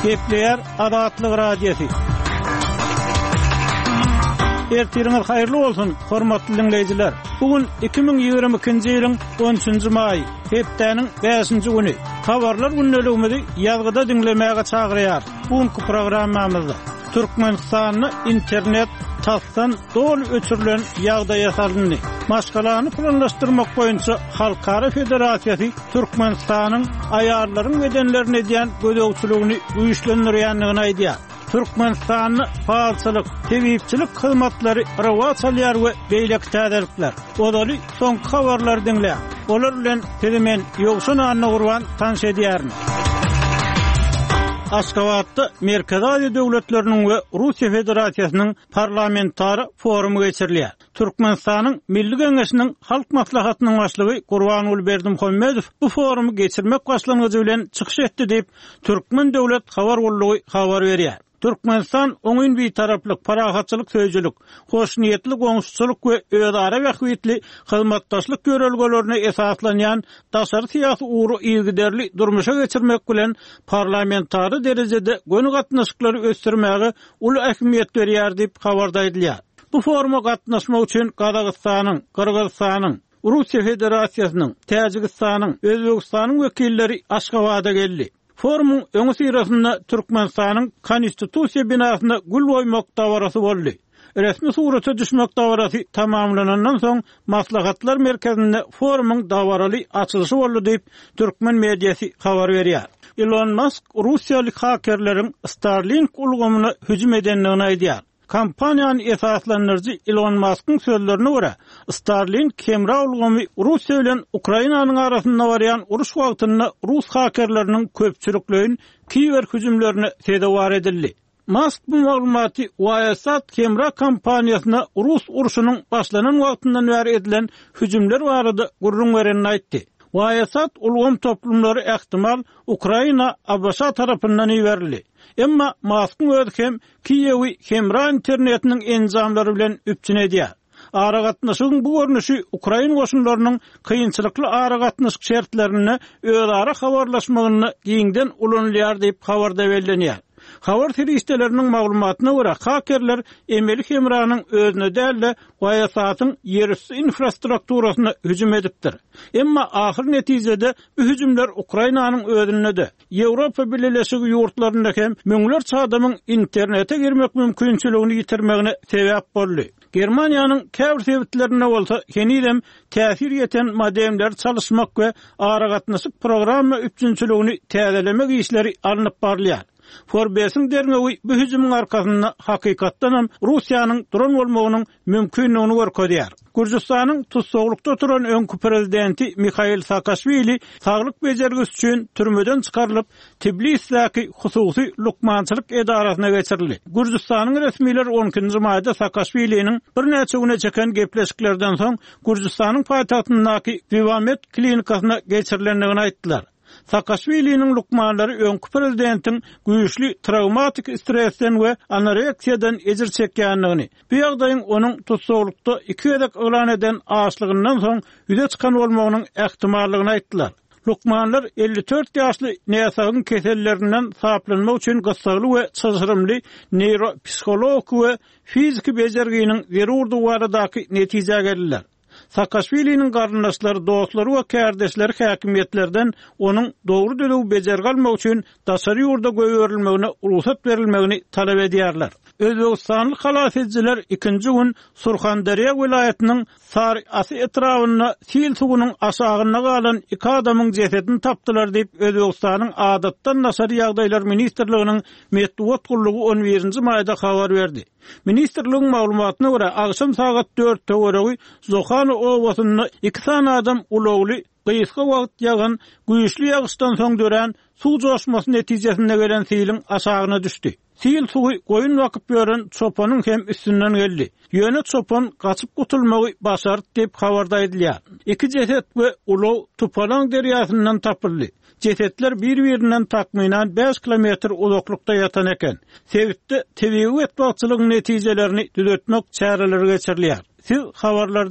Gepleýär Azatlyk Radiosy. Ertiriňiz haýyrly bolsun, hormatly diňleýjiler! Bu gün 2022-nji ýylyň 13-nji maýy, hepdäniň bäşinji güni. Habarlar gündeligimizi ýazgyda diňlemäge çagyrýarys. Bu günki programmamyzda Türkmenistanda internet tasdan doly öçürilen ýagdaýa salyndy. Maşgalany planlaşdyrmak boýunça Halkara federasiýasy Türkmenistanyň aýallaryň bedenlerine edýän gözegçiligini güýçlendirýändigini aýdýar. Türkmenistanda palçylyk, tebipçilik hyzmatlary rowaç alýar we beýleki täzelikler. Ozaly soňky habarlary diňläň. Olar bilen sizi men, Ýowşan Annagurban tanyş edýärin. Aşgabatda Merkezi Aziýa döwletleriniň we Russiýa Federasiýasynyň parlamentara forumy geçirilýär. Türkmenistanyň Milli Geňeşiniň Halk Maslahatynyň Başlygy Gurbanguly Berdimuhamedow bu forumy geçirmek başlangyjy bilen çykyş etdi diýip, Türkmen döwlet habar gullugy habar berýär. Türkmenistan oňyn Bitaraplyk, parahatçylyk söýüjilik, hoşniýetli goňşuçylyk we özara bähbitli hyzmatdaşlyk ýörelgelerine esaslanýan daşary syýasy ugry yzygiderli durmuşa geçirmek bilen parlamentara derejede göni gatnaşyklary ösdürmäge uly ähmiýet berýär diýip, habarda aýdylýar. Bu foruma gatnaşmak üçin Gazagystanyň, Gyrgyzystanyň, Russiýa Federasiýasynyň, Täjigistanyň, Özbegistanyň wekilleri Aşgabada geldi. Forumyň öňüsyrasynda Türkmenistanyň Konstitusiýa binasyna gül goýmak dabarasy boldy. Resmi surata düşmek dabarasy tamamlanandan soň, Maslahatlar merkezinde forumyň dabaraly açylyşy boldy diýip, türkmen mediasy habar berýär. Ilon Mask russiýaly hakerleriň Starlink ulgamyna hüjüm edendigini aýdýar. Kompaniýany esaslandyryjy Ilon Maskyň sözlerine görä, Starlink hemra ulgamy Russiýa bilen Ukrainanyň arasynda barýan uruş wagtynda rus hakerleriniň köpçülikleýin kiber hüjümlerine sezewar edildi. Mask bu maglumaty Viasat hemra kompaniýasyna rus urşunyň başlanan wagtyndan bäri edilen hüjümler barada gürrüň berenini aýtdy. Viasat ulgam toplumlary ähtimal Ukraina ABŞ tarapyndan iberildi. Emma Maskyň özi hem Kiýewi hemra internetiniň enjamlary bilen üpjün edýär. Aragatnaşygyň bu görnüşi ukrain goşunlarynyň kynçylykly aragatnaşyk şertlerinde özara habarlaşmagynda giňden ulanylýar diýip, habarda bellenýär. Habar serişdeleriniň maglumatyna görä, hakerler emeli hemranyň özüne däl-de, Viasat-yň ýerüsti infrastrukturasyna hüjüm edipdir. Emma ahyr netijede bu hüjümler Ukrainanyň özünde-de, Ýewropa Bileleşigi ýurtlarynda hem müňlerçe adamyň internete girmek mümkinçiligini ýitirmegine sebäp boldy. Germaniýanyň käbir sebitlerinde bolsa henizem täsir ýeten modemleri çalyşmak we aragatnaşyk programma üpjünçiligini täzelemek işleri alnyp barylýar. Forbesiň derňewi bu hüjümiň arkasynda hakykatdanam Russiýanyň duran bolmagynyň mümkindigini görkezýär. Gürjüstanyň tussaglykda oturan öňki prezidenti Mihail Saakaşwili saglyk bejergisi üçin türmeden çykarylyp, Tbilisdäki hususy lukmançylyk edarasyna geçirildi. Gürjüstanyň resmileri on ikinji maýda Saakaşwiliniň birnäçe güne çeken gepleşiklerden soň Gürjüstanyň paýtagtyndaky Wiwamed klinikasyna geçirilendigini aýtdylar. Saakaşwiliniň lukmanlary öňki prezidentiň güýçli trawmatik stresden we anoreksiýadan ejir çekýändigini, bu ýagdaýyň onuň tussaglykda iki gezek yglan eden açlygyndan soň ýüze çykan bolmagynyň ähtimallygyny aýtdylar. Lukmanlar 54 ýaşly näsagyň kesellerinden saplanmak üçin gyssagly we çylşyrymly neýropsihologiki we fiziki bejerginiň zerurdygy baradaky netijä geldiler. Saakaşwiliniň garyndaşlary, dostlary we kärdeşleri häkimiýetlerden onuň dogry-düzüw bejergi almak üçin daşary ýurda goýberilmegine rugsat berilmegini talap edýärler. Özbegistanly halas edijiler ikinji gün Surhanderýa welaýatynyň Sary-Asy etrabynda sil suwunyň aşagynda galan iki adamyň jesedini tapdylar diýip, Özbegistanyň Adatdan daşary ýagdaýlar ministrliginiň metbugat gullugy on birinji maýda habar berdi. Ministrligiň maglumatyna görä, agşam sagat dört töweregi Zohana obasynda iki sany adam ulagly gysga wagt ýagan güýçli ýagyşdan soň dörän suw joşmasy netijesinde gelen siliň aşagyna düşdi. Sil suwy goýun bakyp ýören çopanyň hem üstünden geldi. Ýöne çopan gaçyp gutulmagy başardy diýip, habarda aýdylýar. Iki jeset we ulag Tupalaň derýasyndan tapyldy. Jesetler bir-birinden takmynan bäş kilometr uzaklykda ýatan eken. Sebitde tebigy betbagtçylygyň netijelerini düzetmek çäreleri geçirilýär. Siz habarlar.